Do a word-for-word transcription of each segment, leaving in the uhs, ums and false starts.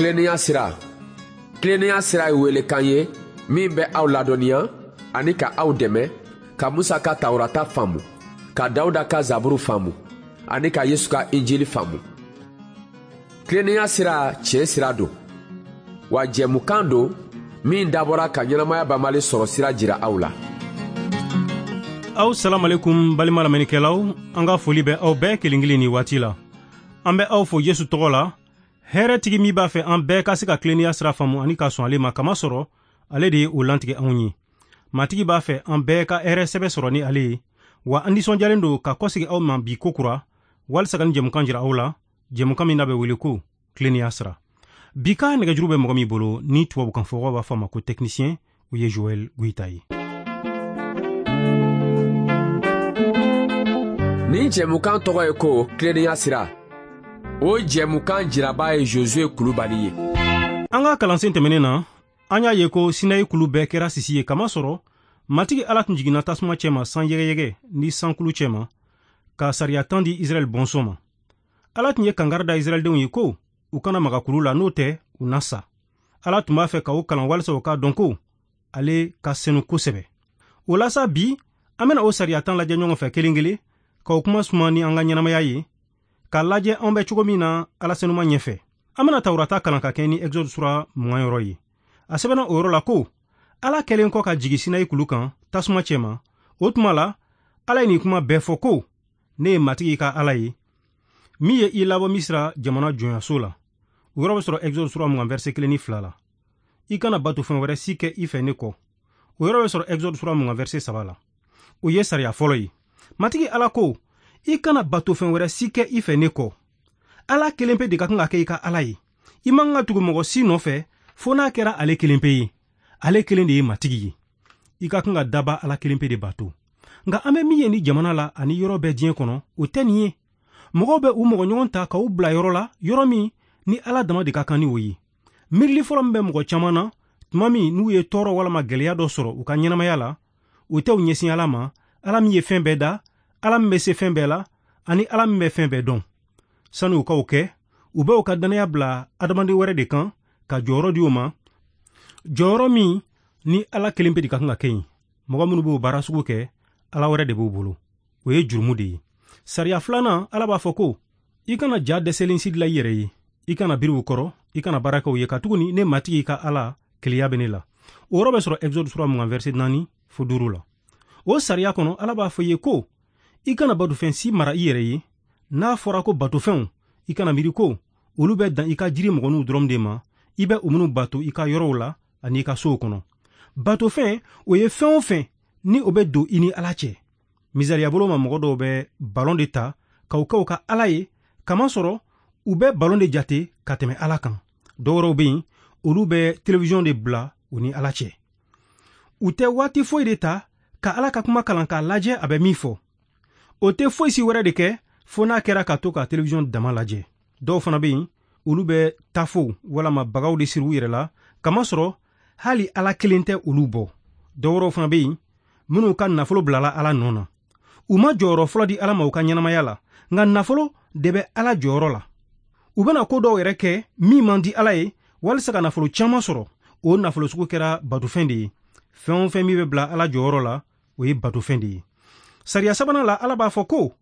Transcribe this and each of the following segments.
Tilennenya sira. Tilennenya sira ye welekan ye min bɛ aw ladɔnniya ani ka aw dɛmɛ ka Musa ka Tawurata faamu, ka Dawuda ka Zaburu faamu ani ka Yesu ka Injili faamu. Tilennenya sira tiɲɛ sira don, wa jɛmukan don min dabɔra ka ɲɛnamaya banbali sɔrɔ sira jira aw la. Aw salamalekum balima lamɛnnikɛlaw, an ka foli bɛ aw bɛɛ kelen kelen ni waati la. An bɛ aw fo Yesu tɔgɔ la, hɛrɛtigi min b'a fɛ an bɛɛ ka se ka tilennenya sira faamu ani ka sɔn ale ma, kamasɔrɔ ale de ye o lantigɛ anw ye. Matigi b'a fɛ an bɛɛ ka hɛrɛ sɛbɛ sɔrɔ ni ale ye, wa an nisɔndiyalen don ka kɔsegi aw ma bi kokura walisa ka ni jɛmukan jira aw la, jɛmukan min n'a bɛ wele ko tilennenya sira. Bi ka nɛgɛjuru bɛ mɔgɔ min bolo ni tubabukan fɔbagaw b'a fɔ a ma ko technicien, o ye Joël Goïta ye. Nin jɛmukan tɔgɔ ye ko tilennenya sira. O jɛmukan jiraba ye Josué Kulubali ye. An ka kalansen tɛmɛnen na, an y'a ye ko Sinayi kulu bɛɛ kɛra sisi ye, kamasɔrɔ Matigi Ala tun jiginna tasuma cɛma san yɛgɛyɛgɛ ni sankulu cɛma ka sariya tan di Israɛl bɔnsɔn ma. Ala tun ye kangari da Israɛldenw ye ko u kana maga kulu la, n'o tɛ u na sa. Ala tun b'a fɛ ka o kalan walisa u k'a dɔn ko ale ka senu kosɛbɛ. O la sa, bi an bɛna o sariya tan lajɛ ɲɔgɔn fɛ kelen kelen, k'o kuma suma ni an ka ɲɛnamaya ye, k'a lajɛ an bɛ cogo min na Ala senuma ɲɛfɛ. An bɛna Tawurata kalan ka kɛ ni Exode sura mugan yɔrɔ ye. A sɛbɛnna o yɔrɔ la ko Ala kɛlen kɔ ka jigin Sinayi kulu kan tasuma cɛma, o tuma la Ala ye nin kuma bɛɛ fɔ ko ne ye Matigi ka Ala ye min ye i labɔ Misira jamana jɔnyaso la. O yɔrɔ bɛ sɔrɔ Exode sura mugan verset kelen ni fila la. I kana bato fɛn wɛrɛ si kɛ i fɛ ne kɔ. O yɔrɔ bɛ sɔrɔ Exode sura mugan verset saba la. O ye sariya fɔlɔ ye. Matigi Ala ko i kana bato fɛn wɛrɛ si kɛ i fɛ ne kɔ. Ala kelen pe de ka kan ka kɛ i ka Ala ye. I man ka tugu mɔgɔ si nɔfɛ fo n'a kɛra ale kelen pe ye. Ale kelen de ye Matigi ye. I ka kan ka daba Ala kelen pe de bato. Nka an bɛ min ye ni jamana la ani yɔrɔ bɛɛ diɲɛ kɔnɔ, o tɛ nin ye. Mɔgɔw bɛ u mɔgɔ ɲɔgɔn ta k'u bila yɔrɔ la, yɔrɔ min ni Ala dama de ka kan ni o ye. Miirili fɔlɔ min bɛ mɔgɔ caman na tuma min n'u ye tɔɔrɔ walama gɛlɛya dɔ sɔrɔ u ka ɲɛnamaya la, o tɛ u ɲɛsin Ala ma, Ala min ye fɛn bɛɛ da, Ala min bɛ se fɛn bɛɛ la, ani Ala min bɛ fɛn bɛɛ dɔn. Sani u k'o kɛ, u bɛ u ka dannaya bila adamaden wɛrɛ de kan ka jɔyɔrɔ di o ma, jɔyɔrɔ min ni Ala kelen pe de ka kan ka kɛ yen. Mɔgɔ minnu b'o baara sugu kɛ, Ala wɛrɛ de b'u bolo. O ye jurumu de ye. Sariya filanan, Ala b'a fɔ ko i kana ja dɛsɛlen si dilan i yɛrɛ ye, i kana biri u kɔrɔ, i kana baara kɛ u ye, katuguni ne Matigi ka Ala keleya bɛ ne la. O yɔrɔ bɛ sɔrɔ Exode sura mugan verset naani fo duuru la. O sariya kɔnɔ, Ala b'a fɔ i ye ko i kana batofɛn si mara i yɛrɛ ye. N'a fɔra ko batofɛnw, i kana miiri ko olu bɛ dan i ka jiri mɔgɔninw dɔrɔn de ma, i bɛ u minnu bato i ka yɔrɔw la ani i ka sow kɔnɔ. Batofɛn, o ye fɛn o fɛn ni o bɛ don i ni Ala cɛ. Misaliya bolo ma, mɔgɔ dɔw bɛ balon de ta k'o kɛ u ka Ala ye, kamasɔrɔ u bɛ balon de jate ka tɛmɛ Ala kan. Dɔw wɛrɛw bɛ yen, olu bɛ télévision de bila u ni Ala cɛ. U tɛ waati foyi de ta ka Ala ka kuma kalan k'a lajɛ a bɛ min fɔ. O tɛ foyi si wɛrɛ de kɛ fo n'a kɛra ka to ka télévision dama lajɛ. Dɔw fana bɛ yen, olu bɛ tafow walama bagaw de siri u yɛrɛ la, kamasɔrɔ hali Ala kelen tɛ olu bɔ. Dɔw wɛrɛw fana bɛ yen minnu ka nafolo bilala Ala nɔ na. U ma jɔyɔrɔ fɔlɔ di Ala ma u ka ɲɛnamaya la, nka nafolo de bɛ Ala jɔyɔrɔ la. U bɛna ko dɔw yɛrɛ kɛ min man di Ala ye walisa ka nafolo caman sɔrɔ. O nafolo sugu kɛra batofɛn de ye. Fɛn o fɛn min bɛ bila Ala jɔyɔrɔ la, o ye batofɛn de ye. Sariya sabanan la, Ala b'a fɔ ko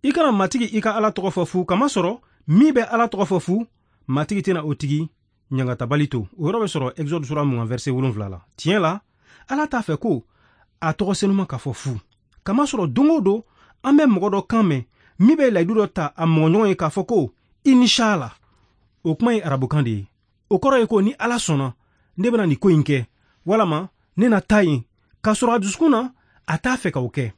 i kana Matigi i ka Ala tɔgɔ fɔ fu, kamasɔrɔ min bɛ Ala tɔgɔ fɔ fu, Matigi tɛna o tigi ɲangatabali to. O yɔrɔ bɛ sɔrɔ Exode sura mugan verset wolonwula la. Tiɲɛ la, Ala t'a fɛ ko a tɔgɔ senuma ka fɔ fu, kamasɔrɔ don o don an bɛ mɔgɔ dɔ kan mɛn min bɛ layidu dɔ ta a mɔgɔɲɔgɔn ye k'a fɔ ko inshallah. O kuma ye arabukan de ye. O kɔrɔ ye ko ni Ala sɔnna, ne bɛna nin ko in kɛ, walama ne na taa yen, k'a sɔrɔ a dusukun na a t'a fɛ k'o kɛ.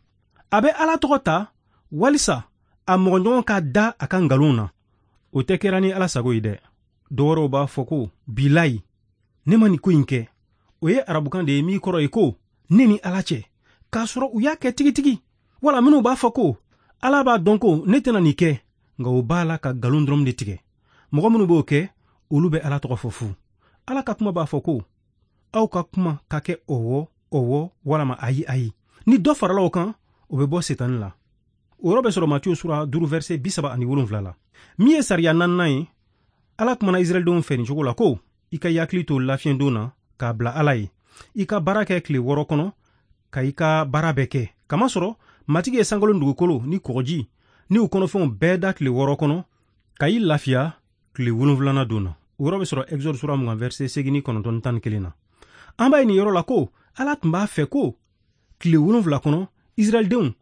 A bɛ Ala tɔgɔ ta walisa a mɔgɔɲɔgɔn ka da a ka nkalon na. O tɛ kɛra ni Ala sago ye dɛ. Dɔw wɛrɛw b'a fɔ ko bilayi, ne ma nin ko in kɛ. O ye arabukan de ye min kɔrɔ ye ko ne ni Ala cɛ, k'a sɔrɔ u y'a kɛ tigitigi. Wala minnu b'a fɔ ko Ala b'a dɔn ko ne tɛna nin kɛ, nka o b'a la ka nkalon dɔrɔn de tigɛ. Mɔgɔ minnu b'o kɛ, olu bɛ Ala tɔgɔ fɔ fu. Ala ka kuma b'a fɔ ko aw ka kuma ka kɛ ɔwɔ ɔwɔ walama ayi ayi. Ni dɔ farala o kan, o bɛ bɔ Setani la. O yɔrɔ bɛ sɔrɔ Matiyu sura duuru verset bi saba ani wolonwula la. Min ye sariya naaninan ye, Ala kumana Israɛldenw fɛ nin cogo la ko i ka i hakili to lafiɲɛdon na k'a bila Ala ye. I ka baara kɛ tile wɔɔrɔ kɔnɔ ka i ka baara bɛɛ kɛ. Kamasɔrɔ Matigi ye sankolo ni dugukolo ni kɔgɔji ni u kɔnɔfɛnw bɛɛ da tile wɔɔrɔ kɔnɔ ka i lafiya tile wolonwulanan don na. O yɔrɔ bɛ sɔrɔ Exode sura mugan verset seegin ni kɔnɔntɔn ni tan ni kelen na. An b'a ye nin yɔrɔ la ko Ala tun b'a fɛ ko tile wolonwula kɔnɔ Israɛldenw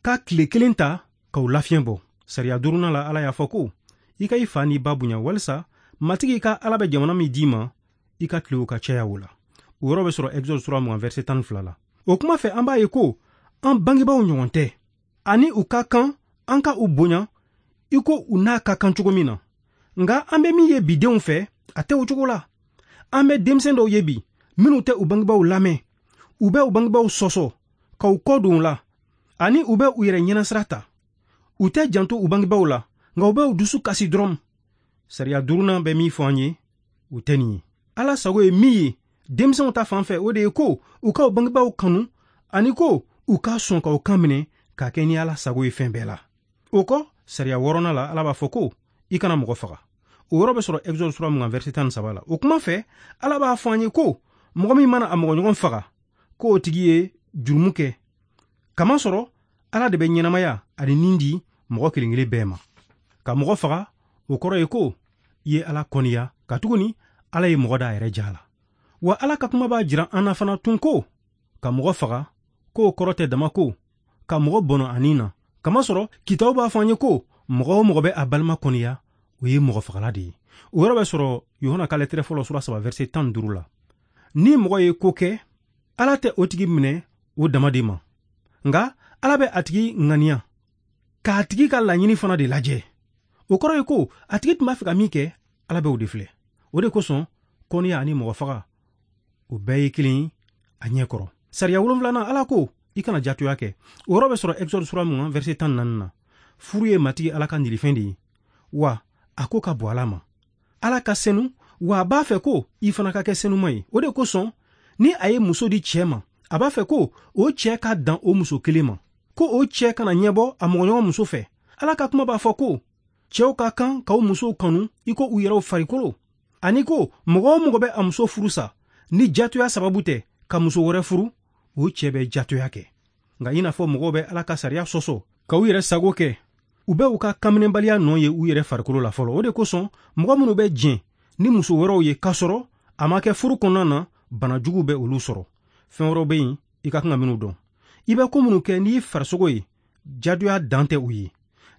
ka tile kelen ta k'u lafiɲɛ bɔ. Sariya duurunan la Ala y'a fɔ ko i ka i fa n'i ba bonya walisa Matigi ka Ala bɛ jamana min d'i ma i ka tilew ka caya o la. O yɔrɔ bɛ sɔrɔ Exode sura mugan verset tan ni fila la. O kuma fɛ an b'a ye ko an bangebaaw ɲɔgɔn tɛ ani u ka kan an ka u bonya i ko u n'a ka kan cogo min na. Nka an bɛ min ye bidenw fɛ a tɛ o cogo la. An bɛ denmisɛn dɔw ye bi minnu tɛ u bangebaaw lamɛn, u bɛ u bangebaaw sɔsɔ ka u kɔ don u la ani u bɛ u yɛrɛ ɲɛnasira ta. U tɛ janto u bangebaaw la nka u bɛ u dusu kasi dɔrɔn. Sariya duurunan bɛ min fɔ an ye o tɛ nin ye. Ala sago ye min ye denmisɛnw ta fan fɛ o de ye ko u ka u bangebaaw kanu ani ko u ka sɔn ka u kan minɛ k'a kɛ ni Ala sago ye fɛn bɛɛ la. O kɔ sariya wɔɔrɔnan la Ala b'a fɔ ko i kana mɔgɔ faga. O yɔrɔ bɛ sɔrɔ Exode sura mugan verset tan ni saba la. O kuma fɛ Ala b'a fɔ an ye ko mɔgɔ min mana a mɔgɔɲɔgɔn faga k'o tigi ye jurumu kɛ. Kamasɔrɔ Ala de bɛ ɲɛnamaya ani nin di mɔgɔ kelen kelen bɛɛ ma. Ka mɔgɔ faga o kɔrɔ ye ko i ye Ala kɔniya katuguni Ala ye mɔgɔ da a yɛrɛ ja la. Wa Ala ka kuma b'a jira an na fana tun ko ka mɔgɔ faga k'o kɔrɔ tɛ dama ko ka mɔgɔ bɔnɔ a nin na. Kamasɔrɔ kitabu b'a fɔ an ye ko mɔgɔ o mɔgɔ bɛ a balima kɔniya o ye mɔgɔ fagala de ye. O yɔrɔ bɛ sɔrɔ Yohana ka lɛtɛrɛ fɔlɔ sura saba verset tan ni duuru la. Ni mɔgɔ ye ko kɛ Ala tɛ o tigi minɛ o dama de ma, nka Ala bɛ a tigi ŋaniya k'a tigi ka laɲini fana de lajɛ. O kɔrɔ ye ko a tigi tun b'a fɛ ka min kɛ Ala bɛ o de filɛ. O de kosɔn kɔniya ani mɔgɔ faga o bɛɛ ye kelen a ɲɛ kɔrɔ. Sariya wolonwulanan Ala ko i kana jatoya kɛ. O yɔrɔ bɛ sɔrɔ Exode sura mugan verset tan ni naani na. Furu ye Matigi Ala ka nilifɛn de ye wa a ko ka bɔ Ala ma. Ala ka senu wa a b'a fɛ ko i fana ka kɛ senuma ye. O de kosɔn ni a ye muso di cɛ ma a b'a fɛ ko o cɛ ka dan o muso kelen ma, ko o cɛ kana ɲɛbɔ a mɔgɔɲɔgɔn muso fɛ. Ala ka kuma b'a fɔ ko cɛw ka kan k'aw musow kanu i ko u yɛrɛw farikolo, ani ko mɔgɔ o mɔgɔ bɛ a muso furu sa ni jatoya sababu tɛ ka muso wɛrɛ furu o cɛ bɛ jatoya kɛ. Nka i n'a fɔ mɔgɔw bɛ Ala ka sariya sɔsɔ ka u yɛrɛ sago kɛ, u bɛ u ka kanminɛbaliya nɔ ye u yɛrɛ farikolo la fɔlɔ. O de kosɔn mɔgɔ minnu bɛ jɛn ni muso wɛrɛw ye k'a sɔrɔ a ma kɛ furu kɔnɔna na bana jugu bɛ olu sɔrɔ. Fɛn wɛrɛw bɛ yen i ka kan ka minnu dɔn. I bɛ ko minnu kɛ n'i farisogo ye jatoya dan tɛ u ye.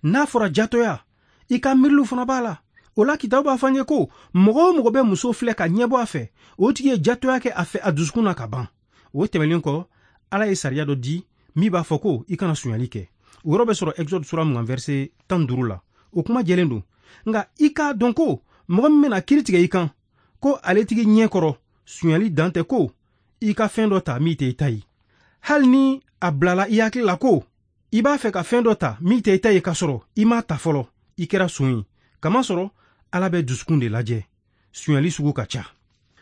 N'a fɔra jatoya i ka miiriliw fana b'a la. O la kitabu b'a fɔ an ye ko mɔgɔ o mɔgɔ bɛ muso filɛ ka ɲɛbɔ a fɛ o tigi ye jatoya kɛ a fɛ a dusukun na ka ban. O tɛmɛnen kɔ Ala ye sariya dɔ di min b'a fɔ ko i kana sonyali kɛ. O yɔrɔ bɛ sɔrɔ Exode sura mugan verset tan ni duuru la. O kuma jɛlen don. Nka i k'a dɔn ko mɔgɔ min bɛna kiiri tigɛ i kan ko ale tigi ɲɛ kɔrɔ sonyali dan tɛ ko i ka fɛn dɔ ta min tɛ i ta ye. Hali ni a bilala i hakili la ko i b'a fɛ ka fɛn dɔ ta min tɛ i ta ye k'a sɔrɔ i m'a ta fɔlɔ, i kɛra son ye. Kamasɔrɔ Ala bɛ dusukun de lajɛ. Sonyali sugu ka ca.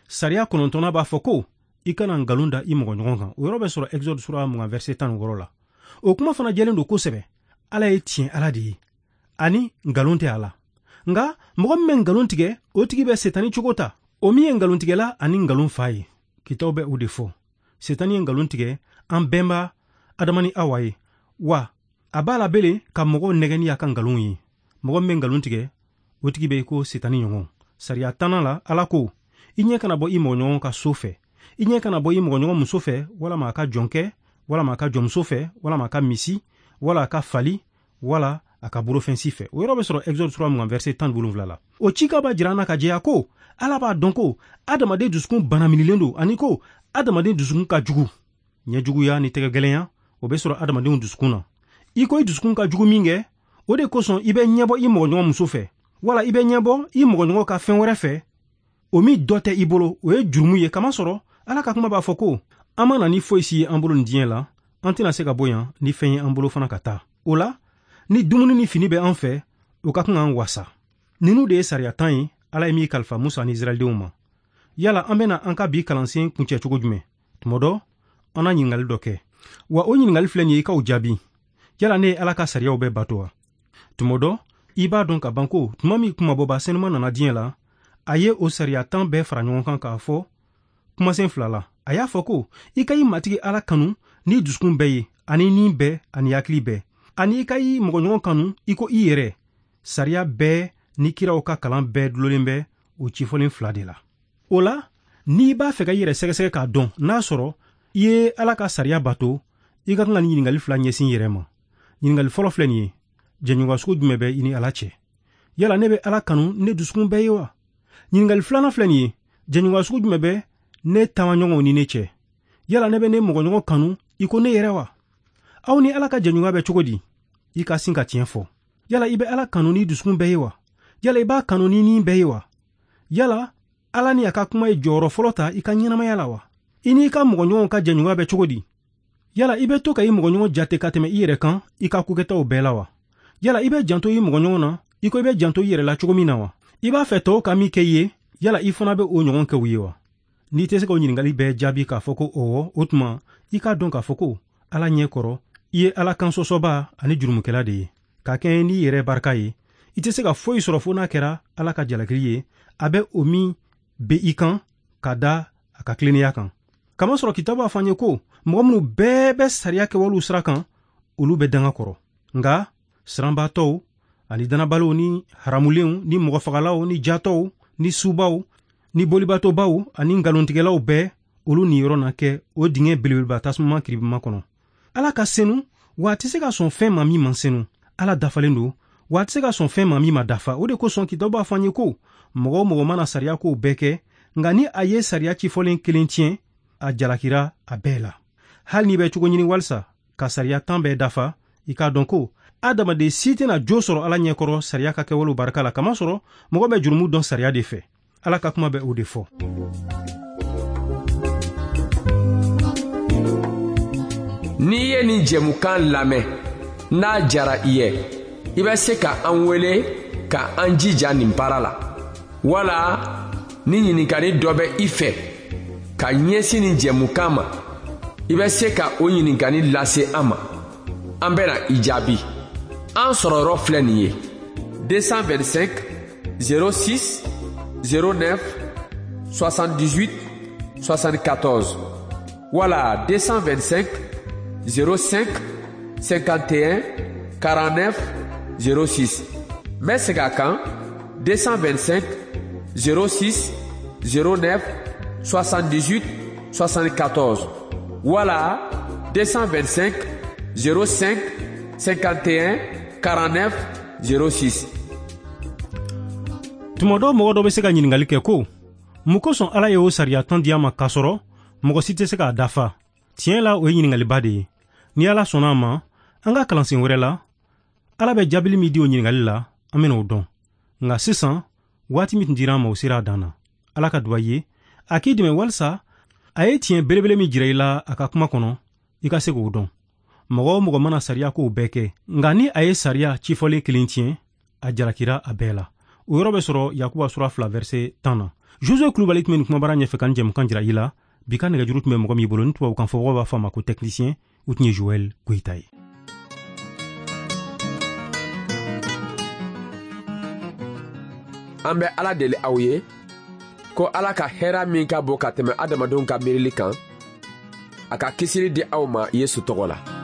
Sariya kɔnɔntɔnnan b'a fɔ ko i kana nkalon da i mɔgɔɲɔgɔn kan. O yɔrɔ bɛ sɔrɔ Exode sura mugan verset tan ni wɔɔrɔ la. O kuma fana jɛlen don kosɛbɛ. Ala ye tiɲɛ Ala de ye ani nkalon tɛ a la. Nka mɔgɔ min bɛ nkalon tigɛ o tigi bɛ setani cogo ta, o min ye nkalontigɛla ani nkalon fa ye. Kitabu bɛ o de fɔ. Setani ye nkalon tigɛ an bɛnba Adama ni Awa ye, wa a b'a la bele ka mɔgɔw nɛgɛ ni a ka nkalon ye. Mɔgɔ min bɛ nkalon tigɛ o tigi bɛ i ko setani ɲɔgɔn. Sariya tannan la Ala ko i ɲɛ kana bɔ i mɔgɔɲɔgɔn ka so fɛ, i ɲɛ kana bɔ i mɔgɔɲɔgɔn muso fɛ walama a ka jɔnkɛ walama a ka jɔnmuso fɛ walama a ka misi wala a ka fali wala a ka bolofɛn si fɛ. O yɔrɔ bɛ sɔrɔ Exode sura mugan verset tan ni wolonwula la. O cikan b'a jira an na ka jɛya ko Ala b'a dɔn ko adamaden dusukun banaminilen don ani ko adamaden dusukun ka jugu. Ɲɛjuguya ni tɛgɛgɛlɛnya o bɛ sɔrɔ adamadenw dusukun na. I ko i dusukun ka jugu min kɛ o de kosɔn i bɛ ɲɛbɔ i mɔgɔɲɔgɔn muso fɛ wala i bɛ ɲɛbɔ i mɔgɔɲɔgɔn ka fɛn wɛrɛ fɛ o min dɔ tɛ i bolo, o ye jurumu ye. Kamasɔrɔ Ala ka kuma b'a fɔ ko an ma na ni foyi si ye an bolo nin diɲɛ la, an tɛna se ka bɔ yan ni fɛn ye an bolo fana ka taa. O la ni dumuni ni fini bɛ an fɛ o ka kan k'an wasa. Ninnu de ye sariya tan ye Ala ye min kalifa Musa ni Israɛldenw ma. Yala an bɛna an ka bi kalansen kuncɛ cogo jumɛn? Tuma dɔ an na ɲininkali dɔ kɛ, wa o ɲininkali filɛ nin ye i k'o jaabi. Yala ne ye Ala ka sariyaw bɛɛ bato wa? Tuma dɔ i b'a dɔn ka ban ko tuma min kumabɔba senuman nana diɲɛ la, A ye o sariya tan bɛɛ fara ɲɔgɔn kan k'a fɔ kumasen fila la. A y'a fɔ ko i ka i Matigi Ala kanu ni dusukun bɛɛ ye, ani ni bɛɛ, ani hakili bɛɛ, ani i ka i mɔgɔɲɔgɔn kanu i ko i yɛrɛ. Sariya bɛɛ ni kiraw ka kalan bɛɛ dulolen bɛ o cifɔlen fila de la. O la, n'i b'a fɛ ka i yɛrɛ sɛgɛsɛgɛ k'a dɔn n'a sɔrɔ i ye Ala ka sariya bato, i ka kan ka nin ɲininkali fila ɲɛsin i yɛrɛ ma. Ɲininkali fɔlɔ filɛ nin ye: jɛɲɔgɔnya sugu jumɛn bɛ i ni Ala cɛ? Yala ne bɛ Ala kanu ne dusukun bɛɛ ye wa? Ɲininkali filanan filɛ nin ye: jɛɲɔgɔnya sugu jumɛn bɛ ne taamaɲɔgɔnw ni ne cɛ? Yala ne bɛ ne mɔgɔɲɔgɔn kanu i ko ne yɛrɛ wa? Aw ni Ala ka jɛɲɔgɔnya bɛ cogo di? I ka sin ka tiɲɛ fɔ. Yala i bɛ Ala kanu ni dusukun bɛɛ ye wa? Yala i b'a kanu ni ni bɛɛ ye wa? Yala Ala ni a ka kuma ye jɔyɔrɔ fɔlɔ ta i ka ɲɛnamaya la wa? I n'i ka mɔgɔɲɔgɔnw ka jɛɲɔgɔnya bɛ cogo di? Yala i bɛ to ka i mɔgɔɲɔgɔn jate ka tɛmɛ i yɛrɛ kan i ka kokɛtaw bɛɛ la wa? Yala i bɛ janto i mɔgɔɲɔgɔn na i ko i bɛ janto i yɛrɛ la cogo min na wa? I b'a fɛ tɔw ka min kɛ i ye, yala i fana bɛ o ɲɔgɔn kɛ u ye wa? N'i tɛ se k'o ɲininkali bɛɛ jaabi k'a fɔ ko ɔwɔ, o tuma i k'a dɔn k'a fɔ ko Ala ɲɛ kɔrɔ i ye Ala kan sɔsɔba ani jurumukɛla de ye. Ka kɛɲɛ n'i yɛrɛ barika ye, i tɛ se ka foyi sɔrɔ fo n'a kɛra Ala ka jalakili ye, a bɛ o min bɛ i kan ka da a ka tilennenya kan. Kamasɔrɔ kitabu b'a fɔ an ye ko mɔgɔ minnu bɛɛ bɛ sariya kɛwalew sira kan, olu bɛ danga kɔrɔ. Nka siranbaatɔw ani dannabaliw ni haramulenw ni mɔgɔfagalaw ni jatɔw ni subaw ni bolibatɔbaw ani nkalontigɛlaw bɛɛ, olu niyɔrɔ na kɛ o dingɛ belebeleba tasuma kiribima kɔnɔ. Ala ka senu, wa a tɛ se ka sɔn fɛn ma min man senu. Ala dafalen don, wa a tɛ se ka sɔn fɛn ma min ma dafa. O de kosɔn kitabu b'a fɔ an ye ko mɔgɔ o mɔgɔ mana sariya kow bɛɛ kɛ, nka ni a ye sariya cifɔlen kelen tiɲɛ, a jalakira a bɛɛ la. Hali n'i bɛ cogo ɲini walisa ka sariya tan bɛɛ dafa, i k'a dɔn ko adamaden si tɛna jo sɔrɔ Ala ɲɛkɔrɔ sariya ka kɛwalew barika la, kamasɔrɔ mɔgɔ bɛ jurumu dɔn sariya de fɛ. Ala ka kuma bɛ o de fɔ. N'i ye nin jɛmukan lamɛn, n'a jara i ye, i bɛ se ka an wele ka an jija nin baara la. Wala ni ɲininkali dɔ bɛ i fɛ ka ɲɛsin nin jɛmukan ma, i bɛ se ka o ɲininkali lase an ma. An bɛna i jaabi. An sɔrɔyɔrɔ filɛ nin ye: deux cent vingt-cinq zéro six zéro neuf soixante-dix-huit soixante-quatorze wala deux cent vingt-cinq zéro cinq cinquante et un quarante-neuf zéro six. N bɛ segin a kan: deux cent vingt-cinq zéro six zéro neuf soixante-dix-huit soixante-quatorze wala deux cent vingt-cinq zéro cinq cinquante et un quarante-neuf zéro six. Tuma dɔ mɔgɔ dɔ bɛ se ka ɲininkali kɛ ko mun kosɔn Ala ye o sariya tan di an ma k'a sɔrɔ mɔgɔ si tɛ se k'a dafa? Tiɲɛ la, o ye ɲininkaliba de ye. Ni Ala sɔnna a ma, an ka kalansen wɛrɛ la, Ala bɛ jaabili min di o ɲininkali la, an bɛna o dɔn. Nka sisan, waati min tun dira an ma, o sera a dan na. Ala ka duba ye, a k'i dɛmɛ walisa a ye tiɲɛ belebele min jira i la a ka kuma kɔnɔ, i ka se k'o dɔn. Mɔgɔ o mɔgɔ mana sariya kow bɛɛ kɛ, nka ni a ye sariya cifɔlen kelen tiɲɛ, a jalakira a bɛɛ la. O yɔrɔ bɛ sɔrɔ Yakuba sura fila verset tan na. Josue Kulubali tun bɛ nin kumabara ɲɛfɛ ka nin jɛmukan jira i la. Bi ka nɛgɛjuru tun bɛ mɔgɔ min bolo, ni tubabukan fɔbagaw b'a fɔ a ma ko technicien, o tun ye Joël Goyita ye. An bɛ Ala deli aw ye ko Ala ka hɛrɛ min ka bon ka tɛmɛ adamadenw ka miirili kan, a ka kisili di aw ma Yesu tɔgɔ la.